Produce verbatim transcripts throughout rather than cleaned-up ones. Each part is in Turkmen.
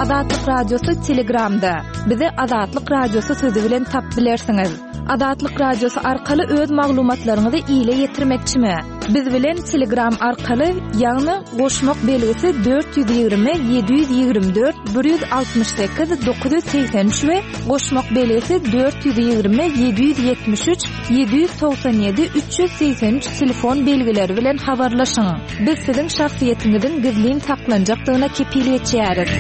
Azatlyk Radiosy Telegramda. Bizi Azatlyk Radiosy sözi bilen tapyp bilersiňiz. Azatlyk Radiosy arkaly öz maglumatlaryňyzy ile ýetirmekçimi? Biz bilen Telegram arkaly, ýagny goşmak belgisi dört ýüz ýigrimi ýedi ýüz ýigrimi dört bir ýüz altmyş sekiz dokuz ýüz segsen üç we goşmak belgisi dört ýüz ýigrimi ýedi ýüz ýetmiş üç ýedi ýüz togsan ýedi üç ýüz segsen üç telefon belgileri bilen habarlaşyň. Biz siziň şahsyýetiňiziň gizlin saklanjakdygyna kepil geçýäris.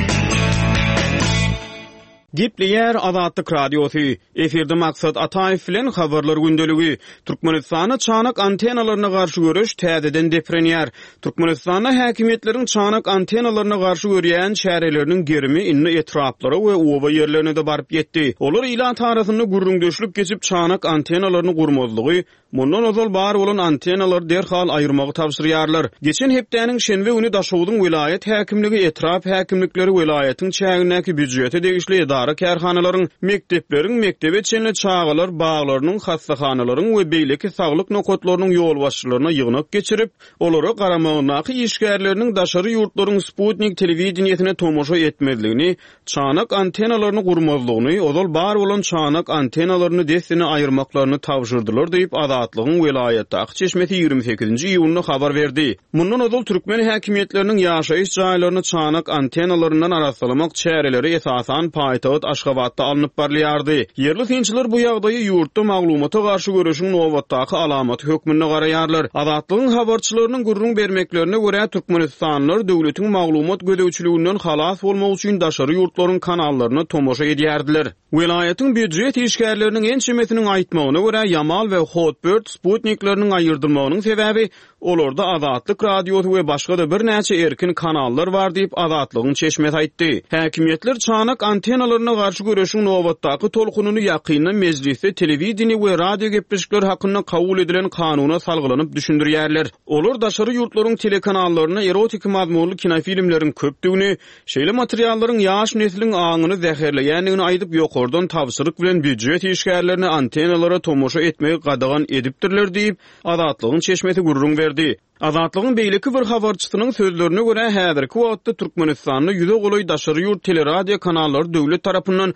Gepleýär Azatlyk Radiosy. Efirde Maksat Ataýew bilen Habarlar gündeligi. Türkmenistanda çanak antennalaryna garşy göreş täzeden deprenýär. Türkmenistanda häkimiýetleriň çanak antennalaryna garşy görýän çäreleriniň gerimi indi etraplara we oba ýerlerine-de baryp ýetdi. Olar ilat arasynda gürrüňdeşlik geçip çanak antennalaryny gurmazlygy, mundan ozal bar bolan antennalary derhal aýyrmagy tabşyrýarlar. Geçen hepdäniň şenbe güni Daşogzuň welaýat häkimligi, etrap häkimlikleri welaýatyň çägindäki býujete degişli edara-kärhanalaryň, mekdepleriň, mekdebe çenli çagalar baglarynyň, hassahanalaryň we beýleki saglyk nokatlarynyň ýolbaşçylaryna ýygnak geçirip, olara garamagyndaky işgärleriniň daşary ýurtlaryň Sputnik telewideniýesine tomaşa etmezligini, çanak antennalaryny gurmazlygyny, ozal bar bolan çanak antennalaryny dessine aýyrmaklaryny tabşyrdylar diýip, Azatlygyň welaýatdaky çeşmesi ýigrimi sekizinji iýunda habar berdi. Mundan ozal türkmen häkimiýetleriniň ýaşaýyş jaýlaryny çanak antennalaryndan arassalamak çäreleri esasan paýtagt Aşgabatda alnyp barylýardy. Ýerli synçylar bu ýagdaýy ýurtda maglumata garşy göreşiň nobatdaky alamaty hökmünde garaýarlar. Azatlygyň habarçylarynyň gürrüň bermeklerine görä, Türkmenistanlylar döwletiň maglumat gözegçiliginden halas bolmak üçin daşary ýurtlaryň kanallaryna tomaşa edýärdiler. Welaýatyň býujet işgärleriniň ençemesiniň aýtmagyna görä, Ýamal we Hotbird sputnikleriniň aýyrdylmagynyň sebäbi olarda Azatlyk Radiosy we başga-da birnäçe erkin kanallar bar diýip, Azatlygyň çeşmesi aýtdy. Häkimiýetler çanak antennalaryna garşy göreşiň nobatdaky tolkunyny ýakynda mejlisde telewideniýe we radio gepleşikleri hakynda kabul edilen kanuna salgylanyp düşündirýärler. Olar daşary ýurtlaryň telekanallaryna erotik mazmunly kinofilmleriň köpdügini, şeýle materiallaryň ýaş nesliň aňyny zäherleýändigini aýdyp, ýokardan tabşyryk bilen býujet işgärlerine antennalara tomaşa etmegi gadagan edipdirler diýip, Azatlygyň çeşmesi gürrüň berdi. Azatlygyň beýleki bir habarçysynyň sözlerine görä, häzirki wagtda Türkmenistanda ýüze golaý daşary ýurt teleradio kanallary döwlet tarapyndan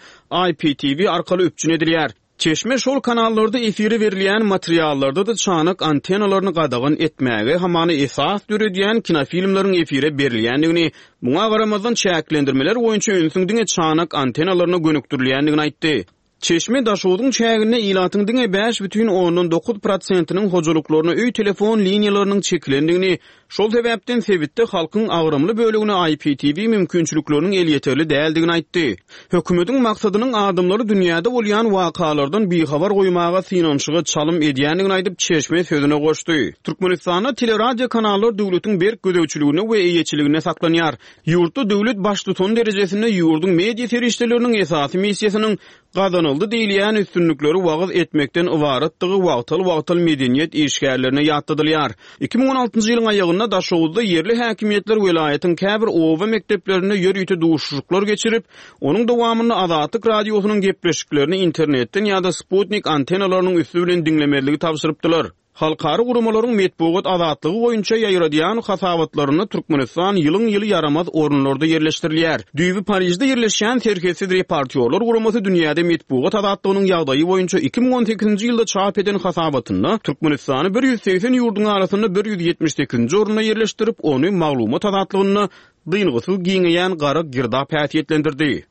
I P T V arkaly üpjün edilýär. Çeşme şol kanallarda efire berilýän materiallarda-da çanak antennalaryny gadagan etmäge hamany esas döredýän kinofilmleriň efire berilýändigini, muňa garamazdan çäklendirmeler boýunça ünsüň diňe çanak antennalaryna gönükdirilýändigini aýtdy. Çeşme Daşogzuň çäginde ilatyň diňe bäş bütin ondan dokuz prosentiniň hojalyklaryna öý telefon liniýalarynyň çekilendigini, şol sebäpden sebitde halkyň agramly bölegine I P T V mümkinçilikleriniň elýeterli däldigini aýtdy. Hökümetiň maksadynyň adamlary dünýäde bolýan wakalardan bihabar goýmaga synanyşyga çalym edýändigini aýdyp, çeşme sözüne goşdy. Türkmenistanda teleradio kanallar döwletiň berk gözegçiliginde we eýeçiliginde saklanýar. Ýurtda döwlet baştutan derejesinde ýurduň media serişdeleriniň esasy missiýasynyň gazanyldy diýilýän üstünlikleri wagyz etmekden ybaratdygy wagtal-wagtal medeniýet işgärlerine ýatladylýar. Iki müň on altynjy ýylyň aýagynda Daşoguzda ýerli häkimiýetler welaýatyň käbir oba mekdeplerinde ýörite duşuşyklar geçirip, onuň dowamynda Azatlyk Radiosynyň gepleşiklerini internetden ýa-da Sputnik antennalarynyň üsti bilen diňlemezligi tabşyrypdylar. Halkara guramalaryň metbugat azatlygy boýunça ýaýradýan hasabatlarynda Türkmenistan ýylyň-ýyly ýaramaz orunlarda ýerleşdirilýär. Düýbi Parijde ýerleşýän Serhetsiz reportýorlar guramasy dünýäde metbugat azatlygynyň ýagdaýy boýunça iki müň on sekizinji ýylda çap eden hasabatynda Türkmenistany bir ýüz segsen ýurduň arasynda bir ýüz ýetmiş sekizinji orunda ýerleşdirip, ony maglumat azatlygynda dyngysyz giňeýän gara girdap häsiýetlendirdi.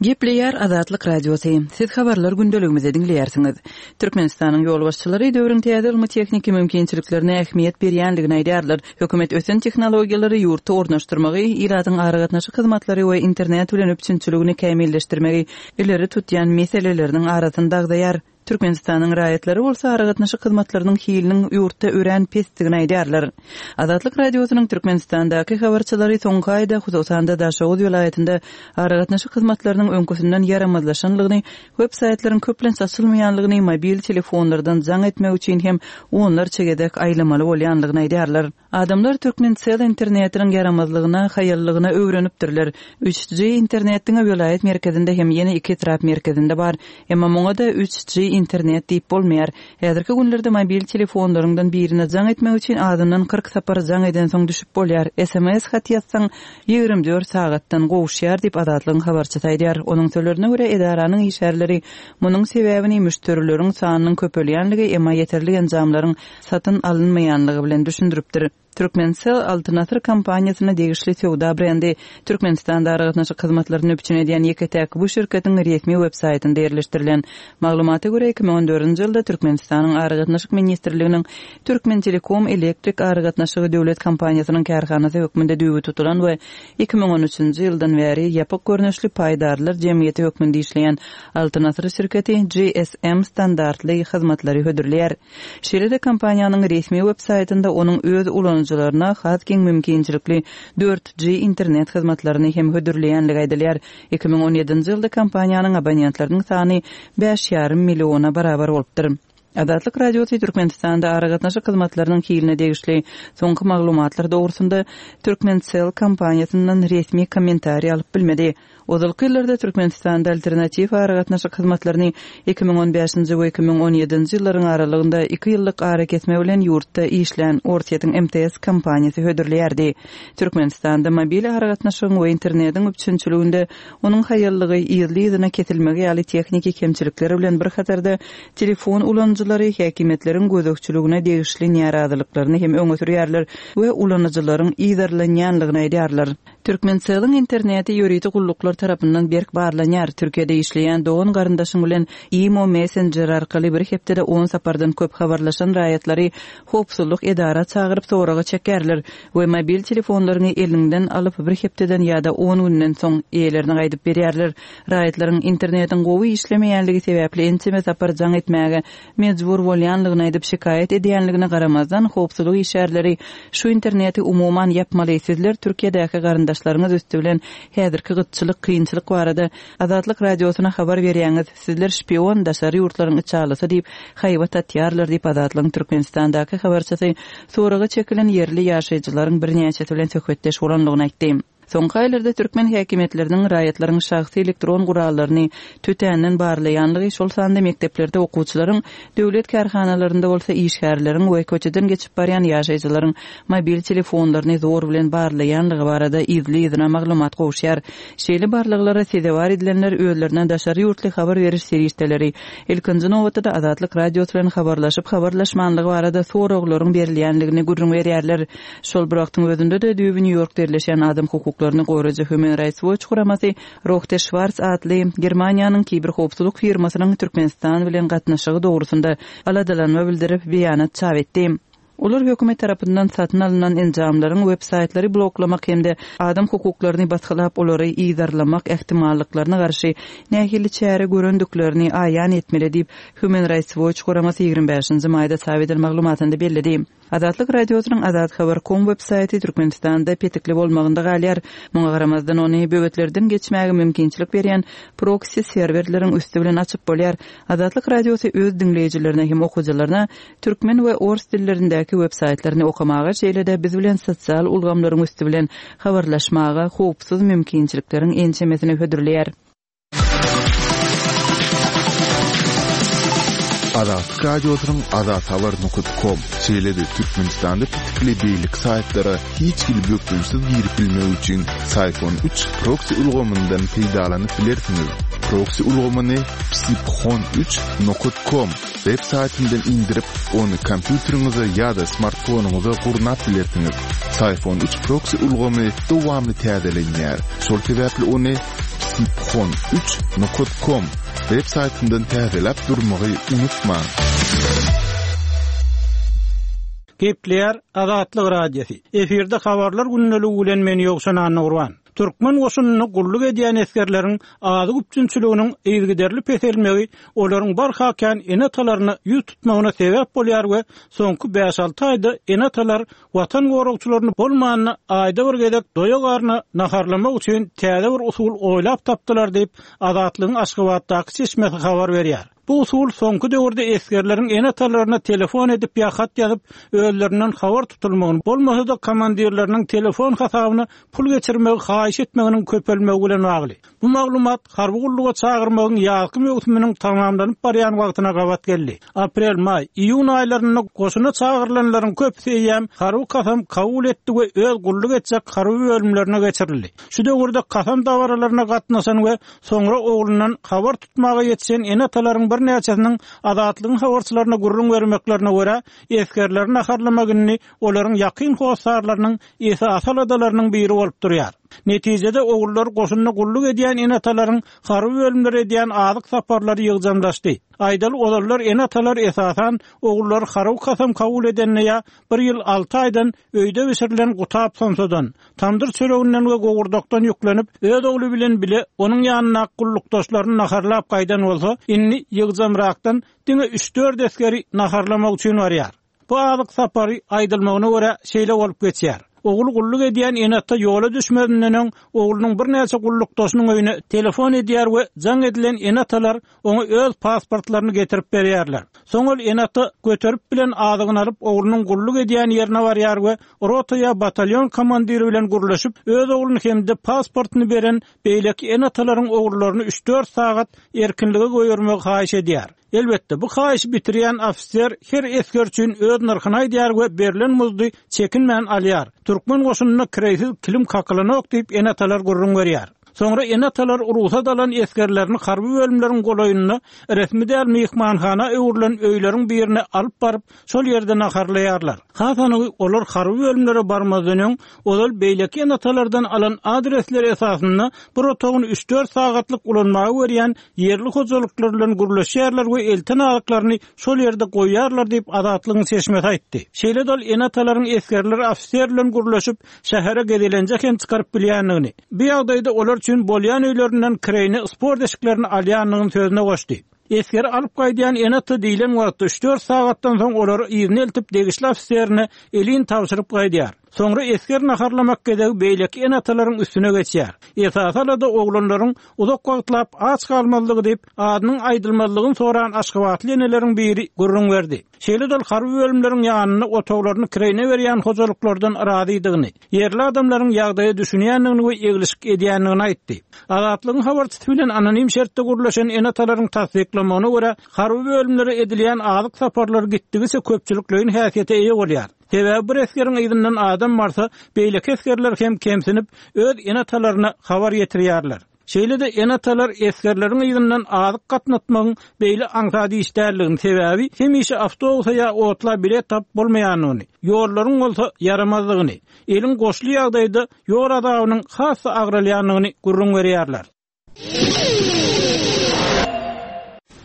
Gepleýär Azatlyk Radiosy. Siz habarlar gündeligimizi diňleýärsiňiz. Türkmenistanyň ýolbaşçylary döwrüň täze ylmy tehniki mümkinçiliklerine ähmiýet berýändigini aýdýarlar. Hökümet ösen tehnologiýalary ýurtda ornaşdyrmagy, ilatyň aragatnaşyk hyzmatlary we internet bilen üpjünçiligini kämilleşdirmegi ileri tutýan meseleleriniň arasynda agzaýar. Türkmenistanyň raýatlary bolsa aragatnaşyk hyzmatlarynyň hiliniň ýurtda örän pesdigini aýdýarlar. Azatlyk Radiosynyň Türkmenistandaky habarçylary soňky aýda hususan-da Daşoguz welaýatynda aragatnaşyk hyzmatlarynyň öňküsinden ýaramazlaşanlygyny, web saýtlaryň köplenç açylmaýanlygyny, mobil telefonlardan jaň etmek üçin hem onlarça gezek aýlamaly bolýanlygyny aýdýarlar. Adamlar Türkmencell internetiniň ýaramazlygyna, haýallygyna öwrenipdirler. Üç G internetiň welaýat merkezinde hem ýene iki etrap merkezinde bar. Emma muňa da üç G internet diýip bolmaýar. Häzirki günlerde mobil telefonlaryňdan birine jaň etmek üçin azyndan kyrk sapar jaň edensoň düşüp bolýar. S M S hat ýazsaň ýigrimi dört sagatdan gowuşýar diýip Azatlygyň habarçysy aýdýar. Onuň sözlerine görä edaranyň işgärleri munuň sebäbini müşderileriň sanynyň köpelýänligi, emma ýeterli enjamlaryň satyn alynmaýanlygy bilen düşündiripdir. Türkmencell Altyn Asyr kompaniýasyna degişli söwda brendi. Türkmenistanda aragatnaşyk hyzmatlaryny üpjün edýän ýeke-täk bu şirketiň resmi web saýtynda ýerleşdirilen maglumata görä iki müň on dördünji ýylda Türkmenistanyň Aragatnaşyk Ministrliginiň Türkmen Telekom elektrik aragatnaşygy döwlet kompaniýasynyň kärhanasy hökmünde düýbi tutulan we iki müň on üçünji ýyldan bäri ýapyk görnüşli paýdarlar jemgyýeti hökmünde işleýän Altyn Asyr şirketi G S M standartly hyzmatlary hödürleýär. Şeýle-de kompaniýanyň resmi web saýtynda onuň öz ulanyjylaryna has giň mümkinçilikli dört G internet hyzmatlaryny hem hödürleýänligi aýdylýar. Iki müň on ýedinji ýylda kompaniýanyň abonentleriniň sany bäş ýarym milliona barabar bolupdyr. Azatlyk Radiosy Türkmenistanda aragatnaşyk hyzmatlarynyň hiline degişli soňky maglumatlar dogrusynda Türkmencell kompaniýasyndan resmi kommentariý alyp bilmedi. Ozalky ýyllarda Türkmenistanda alternatiw aragatnaşyk hyzmatlaryny iki müň on bäşinji we iki müň on ýedinji ýyllaryň aralygynda iki ýyllyk arakesme bilen ýurtda işlän Orsýetiň M T S kompaniýasy hödürleýärdi. Türkmenistanda mobil aragatnaşygyň we internetiň üpjünçiliginde onuň haýallygy yzly-yzyna kesilmegi ýaly tehniki kemçilikler bilen bir hatarda telefon ulanyjylary häkimiýetleriň gözegçiligine degişli närazylyklaryny hem öňe sürýärler we ulanyjylaryň yzarlanýanlygyny aýdýarlar. Türkmencelliň interneti ýörite gulluklar tarapyndan berk barlanýar. Türkiýede işleýän dogan garyndaşyň bilen Imo Messenger arkaly bir hepdede on sapardan köp habarlaşan raýatlary howpsuzlyk edara çagyryp soraga çekerler we mobil telefonlaryny elinden alyp bir hepdeden ýa-da on günden soň eýelerine gaýdyp berýärler. Raýatlaryň internetiň gowy işlemeýänligi sebäpli ençeme sapar jaň etmäge mejbur bolýanlygyny aýdyp şikaýat edýänligine garamazdan howpsuzlyk işgärleri şu interneti umuman ýapmaly. Sizler Türkiýedäki garyndaşlaryňyz üstü bilen häzirki gytçylyk, kynçylyk barada Azatlyk Radiosyna habar berýäňiz. Sizler şpion, daşary ýurtlaryň içalysy diýip haýbat atýarlar diýip Azatlygyň Türkmenistandaky habarçysy soraga çekilen ýerli ýaşaýjylaryň birnäçesi bilen söhbetdeş bolanlygyny aýtdy. Soňky aýlarda türkmen häkimiýetleriniň raýatlaryň şahsy elektron gurallaryny tötänden barlaýanlygy, şol sanda mekdeplerde okuwçylaryň, döwlet kärhanalarynda bolsa işgärleriň we köçeden geçip barýan ýaşaýjylaryň mobil telefonlaryny zor bilen barlaýanlygy barada yzly-yzyna maglumat gowuşýar. Şeýle barlaglara sezewar edilenler özlerine daşary ýurtly habar beriş serişdeleri, ilkinji nobatda Azatlyk Radiosy bilen habarlaşyp habarlaşmanlygy barada soraglaryň berilýänligini gürrüň berýärler. Şol bir wagtyň özünde-de düýbi Nýu-Ýorkda ýerleşen adam hukuklaryny goraýjy Human Rights Watch guramasy Rohde Schwarz atly Germaniýanyň kiberhowpsuzlyk firmasynyň Türkmenistan bilen gatnaşygy dogrusynda aladalanma bildirip beýanat çap etdi. Olar hökümet tarapyndan satyn alynan enjamlaryň web saýtlary bloklamak hem-de adam hukuklaryny basgylap olary yzarlamak ähtimallyklaryna garşy nähili çäre görendiklerini aýan etmeli diýip Human Rights Watch guramasy ýigrimi bäşinji maýda çap eden maglumatynda belledi. Azatlyk Radiosynyň Azat Habar kom web saýty Türkmenistanda petikli bolmagynda galýar. Muňa garamazdan ony böwetlerden geçmäge mümkinçilik berýän proksi serwerleriň üstü bilen açyp bolýar. Azatlyk Radiosy öz diňleýjilerine hem okyjylaryna türkmen we ors dillerindäki web saýtlaryny okamaga, şeýle-de biz bilen sosial ulgamlaryň üstü bilen habarlaşmaga howpsuz mümkinçilikleriň ençemesini hödürleýär. Azatlyk Radiosynyň Azat Habar nokta com şeýle-de Türkmenistanda petikli beýleki saýtlara hiç hili bökdençsiz girip bilmek üçin Syphon üç proksi ulgamyndan peýdalanyp bilersiňiz. Proksi ulgamyny psiphon üç nokta com web saýtyndan indirip, ony kompýuteriňize ýa-da smartfonyňyza gurnap bilersiňiz. Syphon üç proksi ulgamy dowamly täzelenýär. Şol sebäpli ony psiphon üç nokta com web saýtyndan täzeläp durmagy unutmaň. Gepleýär Azatlyk Radiosy. Efirde habarlar gündeligi bilen men Ýowşan Annagurban. Türkmen goşunyny gulluk edýän esgerleriň azyk üpjünçiliginiň yzygiderli peselmegi olaryň barha kän ene-atalaryna ýüz tutmagyna sebäp bolýar we soňky bäş-alty aýda ene-atalar watan goragçylaryny bolmanyna aýda bir gezek doýa garna naharlamak üçin täze bir usul oýlap tapdylar diýip Azatlygyň Aşgabatdaky çeşmesi habar berýär. Bu usul soňky döwürde esgerleriň ene-atalaryna telefon edip ýa hat ýazyp, özlerinden habar tutulmagyny, bolmasa-da komandirleriniň telefon hasabyna pul geçirmegi haýyş etmeginiň köpelmegi bilen bagly. Bu maglumat harby gulluga çagyrmagyň ýazky möwsüminiň tamamlanyp barýan wagtyna gabat geldi. Aprel, maý, iýun aýlarynda goşuna çagyrylanlaryň köpüsi eýýäm harby kasam kabul etdi we öz gulluk etjek harby bölümlerine geçirildi. Şu döwürde kasam dabaralaryna gatnaşan we soňra oglundan habar tutmaga ýetişen ene-atalaryň birnäçesiniň Azatlygyň habarçylaryna gürrüň bermeklerine görä, esgerleri naharlamak indi olaryň ýakyn hossarlarynyň esasy aladalarynyň biri bolup durýar. Netijede ogullar goşunda gulluk edýän ene-atalaryň harby bölümlere edýän azyk saparlary ýygjamlaşdy. Aýdaly ozallar ene-atalar esasan ogullar harby kasam kabul edenine ýa bir ýyl alty aýdan öýde bişirilen gutap somsadan, tamdyr çöreginden we gowurdakdan ýüklenip, öz ogly bilen bile onuň ýanyndaky gullukdaşlaryny naharlap gaýdan bolsa, indi ýygjamrakdan diňe üç-dört esgeri naharlamak üçin barýar. Bu azyk sapary aýdylmagyna görä şeýle bolup geçýär. Ogul gulluk edýän ene-ata ýola düşmezinden öň oglunyň birnäçe gullukdaşynyň öýüne telefon edýär we jaň edilen ene-atalar oňa öz pasportlaryny getirip berýärler. Soň ol ene-ata göterip bilen azygyny alyp oglunyň gulluk edýän ýerine barýar we rota ýa batalyon komandiri bilen gürleşip, öz ogluny hem-de pasportyny beren beýleki ene-atalaryň ogullaryny üç-dört sagat erkinlige goýbermegi haýyş edýär. Elbetde, bu haýyşy bitirýän ofiser her esger üçin öz nyrhyny aýdýar we berlen muzdy çekinmän alýar. Türkmen goşunynda kireýsiz kilim kakylanok diýip ene-atalar gürrüň berýär. Soňra ene-atalar rugsat alan esgerlerini harby bölümleriň golaýynda resmi däl myhmanhana öwrülen öýleriň birine alyp baryp, şol ýerde naharlaýarlar. Has anygy olar harby bölümlere barmazdan öň ozal beýleki ene-atalardan alan adresleri esasynda bir otagyny üç-dört sagatlyk ulanmaga berýän ýerli hojalyklar bilen gürleşýärler we elten azyklaryny şol ýerde goýýarlar diýip Azatlygyň çeşmesi aýtdy. Şeýle-de ol ene-atalaryň esgerler ofiser bilen gürleşip, şähere gezelenje hem çykaryp bilýändigini, bu ýagdaýda olar üçin bolýan öýlerinden kireýne sport eşiklerini alýandygyny sözüne goşdy. Esgeri alyp gaýdýan ene-ata diýlen wagtda üç-dört sagatdan soň olary yzyna eltip degişli ofiserine elin tabşyryp gaýdýar. Soňra esger naharlamak gezegi beýleki ene-atalaryň üstüne geçýär. Esasy alada oglanlaryň uzak wagtlap aç galmazlygy diýip, adynyň aýdylmazlygyny soran Aşgabatly eneleriň biri gürrüň berdi. Şeýle-de ol harby bölümleriň ýanynda otaglaryny kireýne berýän hojalyklardan razydygyny, ýerli adamlaryň ýagdaýa düşünýändigini we eglişik edýändigini aýtdy. Azatlygyň habarçysy bilen anonim şertde gürleşen ene-atalaryň tassyklamagyna görä, harby bölümlere edilýän azyk saparlary gitdigiçe köpçülikleýin häsiýete eýe bolýar. Sebäbi bir esgeriň yzyndan adam barsa, beýleki esgerler hem kemsinip, öz ene-atalaryna habar ýetirýärler. Şeýle-de ene-atalar esgerleriň yzyndan azyk gatnatmagyň beýle aňsat iş däldigini, sebäbi hemişe awtobusa ýa otla bilet tapyp bolmaýandygyny, ýollaryň bolsa ýaramazdygyny, eliň goşly ýagdaýda ýol azabynyň has-da agralýandygyny gürrüň berýärler.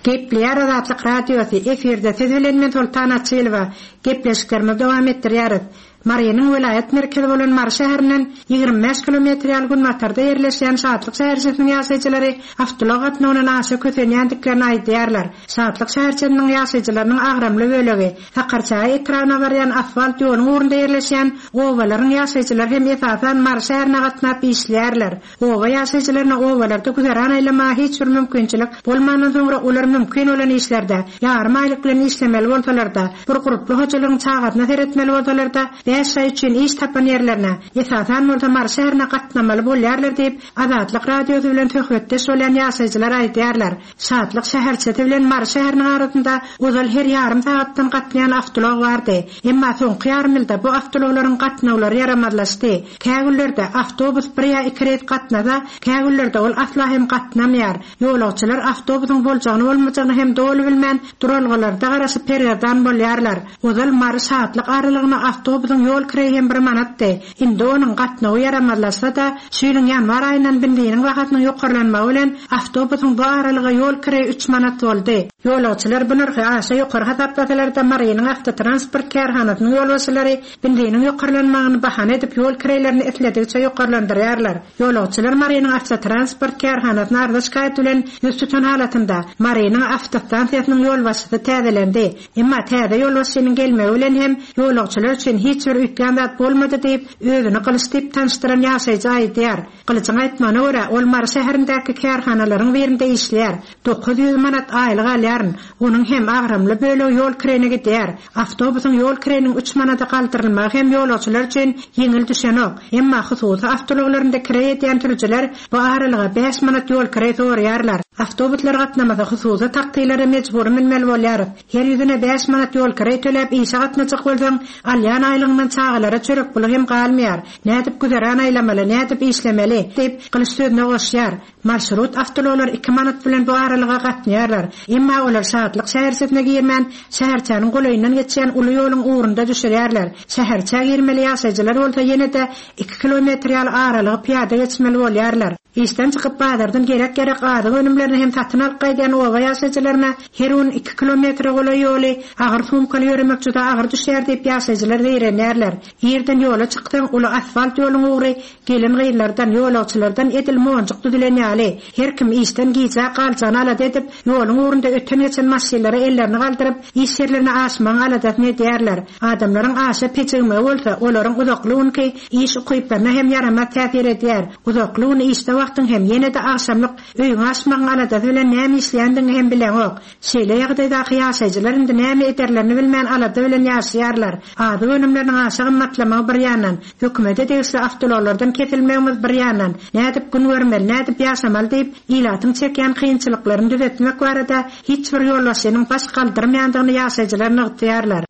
Gepleýär Azatlyk Radiosy, efirde siz bilen men Soltan Açylowa. Gepleşiklerimizi dowam etdirýäris. Marynyň welaýat merkezi bolan Mary şäherinden ýigrimi bäş kilometr ýaly günbatarda ýerleşýän Şatlyk şäherçesiniň ýaşaýjylary awtoulag gatnawyndan aşa kösenýändiklerini aýdýarlar. Şatlyk şäherçesiniň ýaşaýjylarynyň agramly bölegi Sakarçäge etrabyna barýan asfalt ýoluň ugrunda ýerleşýän obalaryň ýaşaýjylary hem esasan Mary şäherine gatnap işleýärler. Oba ýaşaýjylaryna obalarda güzeran aýlamaga hiç bir mümkinçilik bolmandan soňra olar mümkin bolan işlerde ýarym aýlyk bilen işlemeli bolsalar-da, bir gurply hojalygyň çagasyna seretmeli bolsalar-da, bäş aý üçin iş tapan ýerlerine, esasan bolsa Mary şäherine gatnamaly bolýarlar diýip, Azatlyk Radiosy bilen söhbetdeş bolýan ýaşaýjylar aýdýarlar. Şatlyk şäherçesi bilen Mary şäheriniň arasynda ozal her ýarym sagatdan gatnaýan awtoulag bardy. Emma soňky ýarym ýylda bu awtoulaglaryň gatnawlary ýaramazlaşdy. Kä günlerde awtobus bir ýa iki reýs gatnasa, kä günlerde ol asla hem gatnamaýar. Ýolagçylar awtobusyň boljagyny bolmajagyny hem doly bilmän, duralgalarda garaşyp pergerdan bolýarlar. Ozal Mary Şatlyk aralygyna awtobusyň ýol kireýi hem bir manatdy. Indi onuň gatnawy ýaramazlaşsa-da, şu ýylyň ýanwar aýyndan benziniň bahasynyň ýokarlanmagy bilen awtobusyň bu aralyga ýol kireýi üç manat boldy. Ýolagçylar bu nyrhy aşa ýokary hasaplasalar-da, Marynyň awtotransport kärhanasynyň ýolbaşçylary benziniň ýokarlanmagyny bahana edip ýol kireýlerini isledigiçe ýokarlandyrýarlar. Ýolagçylar Marynyň awtotransport kärhanasyna arza şikaýat bilen ýüz tutan halatynda Marynyň awtostansiýasynyň ýolbaşçysy täzelendi. Emma täze ýolbaşçynyň gelmegi bilen hem ýolagçylar üçin hiç bir bir üýtgän zat bolmady diýip, özüni Gylyç diýip tanyşdyran ýaşaýjy aýdýar. Gylyjyň aýtmagyna görä, ol Mary şäherindäki kärhanalaryň birinde işleýär. dokuz ýüz manat aýlyk alýaryn. Onuň hem agramly bölegi ýol kirene gidýär. Awtobusyň ýol kireniň üç manada galdyrylmagy hem ýolagçylar üçin ýeňil düşenok. Emma hususy awtoulaglarynda kireý edýän sürüjiler bu aralyga bäş manat ýol kireý soraýarlar. Awtobuslar gatnamasa hususy taksilere mejbur münmeli bolýarys. Her ýüzüne bäş manat ýol kireý töläp işe gatnajak bolsaň, alýan aýlygyňdan çagalara çörek puly hem galmaýar. Nädip güzeran aýlamaly, nädip işlemeli diýip Gylyç sözüne goşýar. Marşrut awtoulaglar iki manat bilen bu aralyga gatnaýarlar. Emma olar Şatlyk şäherçesine girmän, şäherçäniň golaýyndan geçýän uly ýoluň ugrunda düşürýärler. Şäherçä girmeli ýaşaýjylar bolsa ýene-de iki kilometr ýaly aralygy pyýada geçmeli bolýarlar. Işden çykyp bazardan gerek-gerek azyk önümlerini hem satyn alyp gaýdýan oba ýaşaýjylaryna her gün iki kilometre golaý ýoly agyr sumkaly ýöremek juda agyr düşýär diýip ýaşaýjylar zeýrenýärler. Ýerden ýola çyksaň uly asfalt ýoluň ugry gelen gyzlardan, ýolagçylardan edil monjuk düzülen ýaly. Her kim işden gijä galjagyny alada edip, ýoluň ugrunda öten geçen maşynlara ellerini galdyryp, iş ýerlerine aşmagyň aladasyny edýärler. Adamlaryň aşa pejigmegi bolsa, olaryň uzakly günki iş ukyplaryna hem ýaramaz täsir edýär. Uzakly gün işde wagtyň hem ýene-de agşamlyk öýüňe aşmagyň aladasy bilen näme işleýändigini hem bileňok. Şeýle ýagdaýdaky ýaşaýjylar indi näme ederlerini bilmän alada bilen ýaşaýarlar. Azyk önümleriniň aşa gymmatlamagy bir ýandan, hökümete degişli awtoulaglardan kesilmegimiz bir ýandan, nädip gün görmeli, nädip ýaşamaly diýip, ilatyň çekýän kynçylyklaryny düzetmek barada hiç bir ýolbaşçynyň baş galdyrmaýandygyny ýaşaýjylar nygtaýarlar.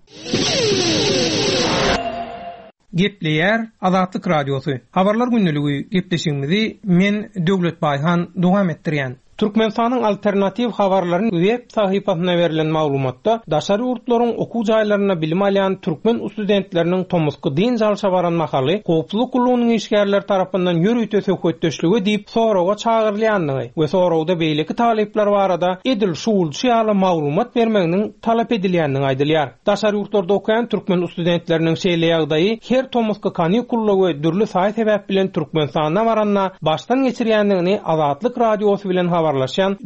Gepleýär Azatlyk Radiosy. Habarlar gündeligi gepleşigimizi men Döwlet Baýhan dowam etdirýän. Türkmenistanyň alternatiw habarlaryň web sahypasyna berlen maglumatda daşary ýurtlaryň okuw jaýlarynda bilim alýan türkmen studentleriniň tomusky dynç alşa baran mahaly howpsuzlyk gullugynyň işgärleri tarapyndan ýörite söhbetdeşlige diýip soraga çagyrylýandygy we soragda beýleki talyplar barada edil şuwulçy ýaly maglumat bermeginiň talap edilýändigi aýdylýar. Daşary ýurtlarda okaýan türkmen studentleriniň şeýle ýagdaýy her tomusky kanikulla we dürli saý sebäp bilen Türkmenistana baranda başdan geçirýändigini Azatlyk Radiosy bilen habarlaşan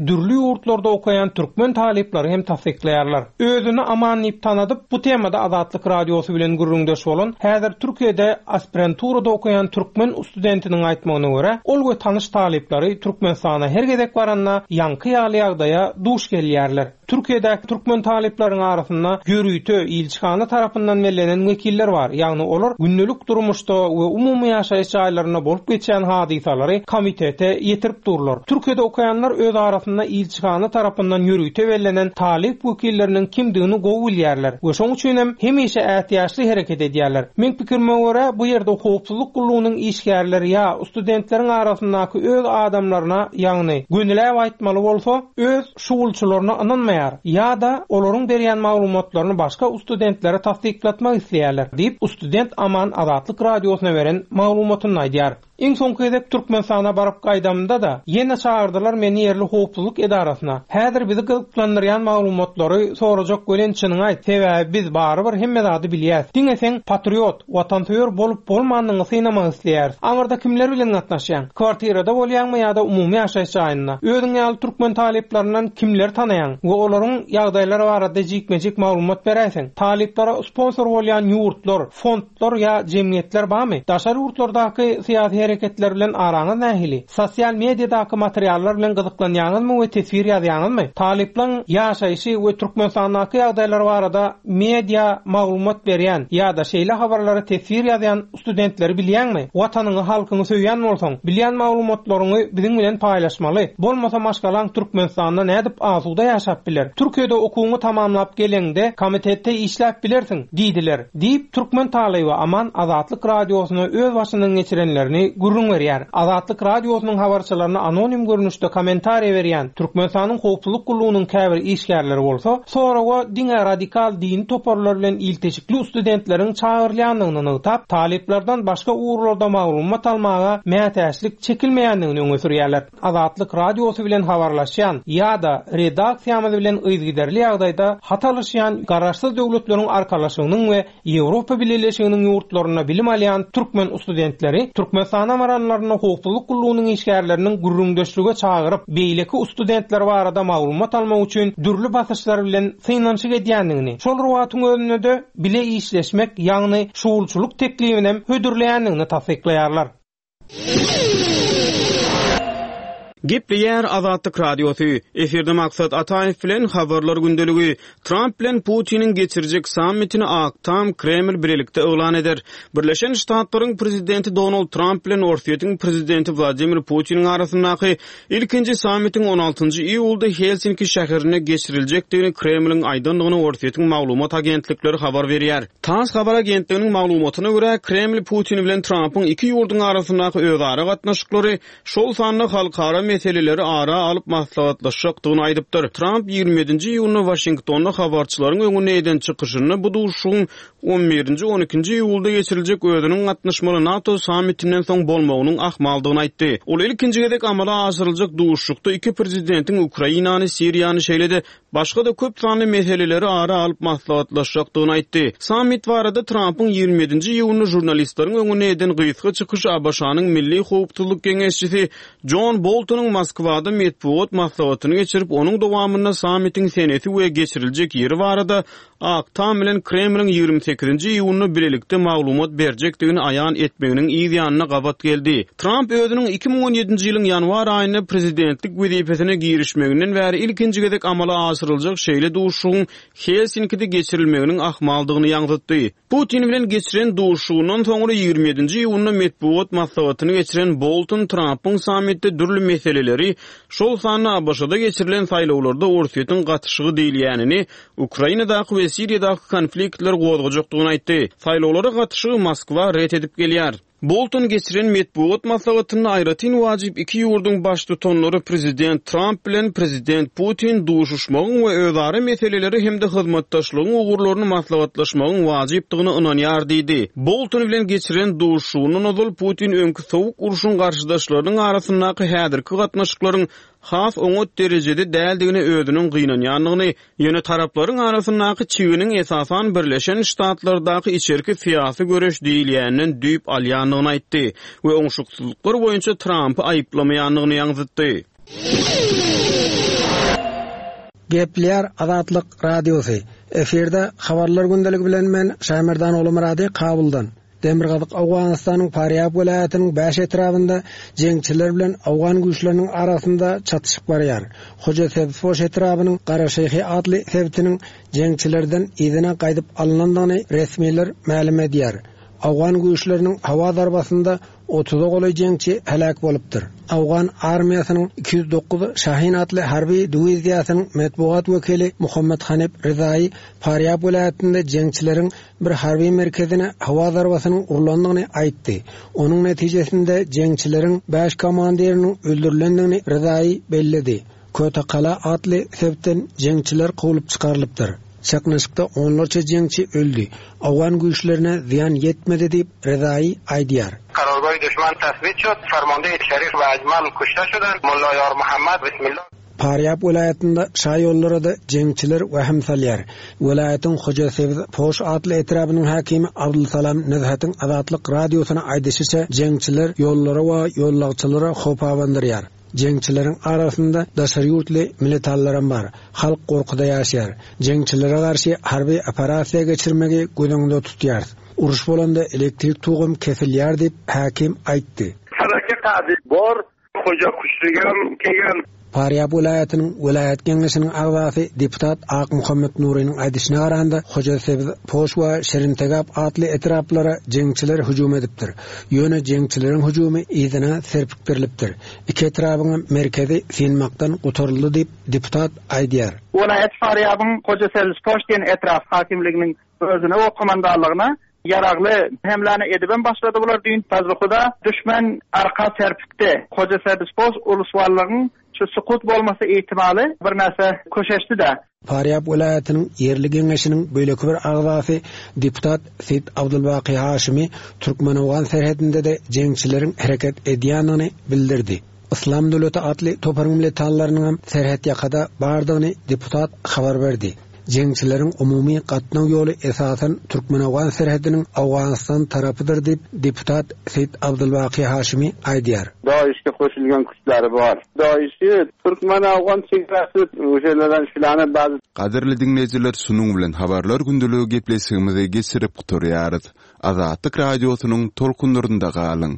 dürli ýurtlarda okaýan türkmen talyplary hem tassyklaýarlar. Özüni aman diýip tanadyp, bu temada Azatlyk Radiosy bilen gürrüňdeş bolan häzir Türkiýede aspiranturada okaýan türkmen studentiniň aýtmagyna görä, ol we tanyş talyplary Türkmenistana her gezek baranda ýaňky ýaly ýagdaýa duş gelýärler. Türkiýedäki türkmen talyplaryň arasynda ýörite ilçihana tarapyndan bellenen wekiller bar. Ýagny olar gündelik durmuşda we umumy ýaşaýyş jaýlarynda bolup geçýän hadysalary komitete ýetirip durlar. Türkiýede okaýanlar öz arasynda ilçihana tarapyndan ýörite bellenen talyp wekilleriniň kimdigini gowy bilýärler we şoň üçin hem hemişe ätiýaçly hereket edýärler. Men pikirime görä, bu ýerde howpsuzlyk gullugynyň işgärleri ýa studentleriň arasyndaky öz adamlaryna, ýagny gönüläp aýtmaly bolsa, öz şuwulçylaryna ynanmaýar ýa-da olaryň berýän maglumatlaryny başga studentlere tassyklatmak isleýärler diýip student Aman Azatlyk Radiosyna beren maglumatyny aýdýar. Iň soňky gezek Türkmenistana baryp gaýdamda da ýene çagyrdylar meni ýerli howpsuzlyk edarasyna. Häzir bizi gyzyklandyrýan maglumatlary sorajak welin çynyňy aýt. Sebäbi biz barybir hemme zady bilýäs. Diňe sen patriot, watansöýer bolup bolmandygyňy synamak isleýäris. Aňyrda kimler bilen gatnaşýaň? Kwartirada bolýaňmy ýa-da umumy ýaşaýyş jaýynda? Özüň ýaly türkmen talyplaryndan kimler tanaýaň we olaryň ýagdaýlary barada jikme-jik maglumat beräýseň? Talyplara sponsor bolýan ýurtlar, fondlar ýa jemgyýetler barmy? Daşary ýurtlardaky syýasy hareketler bilen araňyz nähili? Sosial mediadaky materiallar bilen gyzyklanýaňyzmy we teswir ýazýaňyzmy? Talyplaryň ýaşaýşy we Türkmenistandaky ýagdaýlar barada media maglumat berýän ýa-da şeýle habarlary teswir ýazýan studentleri bilýäňmi? Watanyňy, halkyňy söýýän bolsaň, bilýän maglumatlaryňy biziň bilen paýlaşmaly. Bolmasa maşgalaň Türkmenistanda nädip asuda ýaşap biler? Türkiýede okuwyňy tamamlap geleňde komitetde işläp bilersiň diýdiler. Diýip türkmen talyby Aman Azatlyk Radiosyna öz başyndan geçirenlerini gürrüň berýär. Azatlyk Radiosynyň habarçylaryna anonim görnüşde kommentariýa berýän Türkmenistanyň howpsuzlyk gullugynyň käbir işgärleri bolsa, soraga diňe radikal dini toparlar bilen ilteşikli studentleriň çagyrylýandygyny nygtap, talyplardan başga ugurlarda maglumat almaga mätäçlik çekilmeýändigini öňe sürýärler. Azatlyk Radiosy bilen habarlaşýan ýa-da redaksiýamyz bilen yzygiderli ýagdaýda hat alyşýan Garaşsyz döwletleriň arkalaşygynyň we Ýewropa Bileleşiginiň ýurtlarynda bilim alýan türkmen studentleri Türkmenistanyň Türkmenistana baranlarynda howpsuzlyk gullugynyň işgärleriniň gürrüňdeşlige çagyryp, beýleki studentler barada maglumat almak üçin dürli basyşlar bilen synanyşyk edýändigini, şol bir wagtyň özünde-de bile işleşmek, ýagny şugulçylyk teklibini hödürleýändigini tassyklaýarlar. Gepleýär Azatlyk Radiosy. Efirde Maksat Ataýew bilen habarlar gündeligi. Tramp bilen Putiniň geçirjek sammitini Ak Tam Kreml birlikde yglan eder. Birleşen Ştatlaryň prezidenti Donald Tramp bilen Orsýetiň prezidenti Wladimir Putiniň arasyndaky ilkinji sammitiň on altynjy iýulda Helsinki şäherinde geçiriljekdigini Kremliň aýdandygyny Orsýetiň maglumat agentlikleri habar berýär. TASS habar agentliginiň maglumatyna görä, Kreml Putin bilen Trampyň iki ýurduň arasyndaky özara gatnaşyklary, şol sanda halkara meseleleri ara alyp maslahatlaşjakdygyny aýdypdyr. Tramp ýigrimi ýedinji iýunda Waşingtonda habarçylaryň öňünde eden çykyşynda bu duşuşygyň on birinji on ikinji iýulda geçiriljek özüniň gatnaşmaly NATO sammitinden soň bolmagynyň ahmaldygyny aýtdy. Ol ilkinji gezek amala aşyryljak duşuşykda iki prezidentiň Ukrainany, Siriýany, şeýle-de başga-da köp sanly meseleleri ara alyp maslahatlaşjakdygyny aýtdy. Sammit barada Trampyň ýigrimi ýedinji iýunda žurnalistleriň öňünde eden gysga çykyşy A B Ş-nyň Milli Howpsuzlyk Geňeşçisi John Boltonyň Moskwada metbugat maslahatyny geçirip, onuň dowamynda sammitiň senesi we geçiriljek ýeri barada Ak Tam bilen Kremliň ýigrimi sekizinji iýunda birlikde maglumat berjekdigini aýan etmeginiň yz ýanyna gabat geldi. Tramp özüniň iki müň on ýedinji ýylyň ýanwar aýynda prezidentlik wezipesine girişmeginden bäri ilkinji gezek amala aşyryljak şeýle duşuşygyň Helsinkide geçirilmeginiň ahmaldygyny ýaňzytdy. Putin bilen geçiren duşuşygyndan soňra ýigrimi ýedinji iýunda metbugat maslahatyny geçiren Bolton Trampyň sammitde dürli meseleleri, şol sanda A B Ş-da geçirilen saýlawlarda Orsýetiň gatyşygy diýilýänini, Ukrainadaky we Siriýadaky konfliktler gozgajakdygyny aýtdy. Saýlawlara gatyşygy Moskwa ret edip gelýär. Bolton geçiren metbugat maslahatynda aýratyn wajyp iki ýurduň baştutanlary prezident Tramp bilen prezident Putin duşuşmagyň we özara meseleleri hem-de hyzmatdaşlygyň ugurlaryny maslahatlaşmagyň wajypdygyny ynanýar diýdi. Bolton bilen geçiren duşuşygyndan ozal Putin öňki sowuk urşuň garşydaşlarynyň arasyndaky häzirki gatnaşyklaryň has oňat derejede däldigine özüniň gynanýandygyny, ýöne taraplaryň arasyndaky çiginiň esasan Birleşen Ştatlardaky içerki syýasy göreş diýilýänden düýp alýandygyny aýtdy we oňşuksyzlyklar boýunça Trampy aýyplamaýandygyny ýaňzytdy. Gepleýär Azatlyk Radiosy. Efirde habarlar gündeligi bilen men Şaýmerdan Oglumyrady Kabuldan. Demirgazyk Owganystanyň Farýab welaýatynyň bäş etrabynda jeňçiler bilen owgan güýçleriniň arasynda çatyşyk barýar. Hoja Sebzpoş etrabynyň Garaşeýhi atly sebitiniň jeňçilerden yzyna gaýdyp alynandygyny resmiler mälim edýär. Owgan güýçleriniň hawa zarbasynda otuza golaý jeňçi heläk bolupdyr. Owgan armiýasynyň iki ýüz dokuz Şahin atly harby diwiziýasynyň metbugat wekili Muhammed Hanif Rezaýy Farýab welaýatynda jeňçileriň bir harby merkezine hawa zarbasynyň urlandygyny aýtdy. Onuň netijesinde jeňçileriň bäş komandiriniň öldürilendigini Rezaýy belledi. Kötekala atly sebitden jeňçiler kowlup çykarylypdyr. Çaknyşykda onlarça jeňçi öldü. Owgan güýçlerine zyýan ýetmedi diýip Rezaýy aýdýar. Qarargoh düşman tasbit şud. Farmande Şerif we Ajmal kuşta şudan. Mulla Ýar Muhammad bismillah. Farýab welaýatynda şaýollara da jeňçiler wahim salýar. Welaýatyň Hoja Sebz Poş atly etrabynyň hakimi Abdulsalam Nezhetiň Azatlyk radiosyna aýdyşyça jeňçiler ýollara we ýollagçylara howp abandyrýar. Jeňçileriň arasynda daşary ýurtly militallaram bar. Halk gorkuda ýaşaýar. Jeňçilere garşy harby operasiýa geçirmegi göz öňünde tutýar. Uruş bolanda elektrik tugum kesilýär diýip hakim aýtdy. Saraka bor, Hoja kuşlugam kelgan. Farýab welaýatynyň welaýat geňeşiniň agzasy deputat Ak Muhammed Nuriniň aýdyşyna garanda Hoja Sebz Poş we Şirintegap atly etraplara jeňçiler hüjüm edipdir. Ýöne jeňçileriň hüjümi yzyna serpikdirilipdir. Iki etrabyň merkezi synmakdan gutaryldy diýip deputat aýdýar. Welaýat Farýabyň Hoja Sebz Poş diýen etrap hakimliginiň özüne o komandanlygyna yaragly hemlane edibem başladı bular düýn Fazlyhuda düşman arka serpikdi. Hoja Sebz Poş uluswallygyň şu sukut bolmasy ihtimali bir näse köşeşdi de. Farýab welaýatynyň ýerli geňeşiniň beýleki bir agzasy deputat Seýit Abdulbaki Haşimi Türkmen-Owgan serhedinde de jeňçileriň hereket edýändigini bildirdi. Islam döwleti atly toparyň militallarynyň hem serhet ýakada bardygyny deputat habar berdi. Jeňçileriň umumy gatnaw ýoly esasan türkmen-owgan serhediniň Owganystan tarapydyr diýip, deputat Seýit Abdulbaky Haşymy aýdýar. DAIŞ-ge goşulgan güçleri bar. DAIŞ-i türkmen-owgan çegresi oşalardan şulany bäzi. Gadyrly diňleýjiler şunuň bilen Habarlar gündeligi gepleşigimizi geçirip gutarýarys. Azatlyk Radiosynyň tolkunlarynda galyň!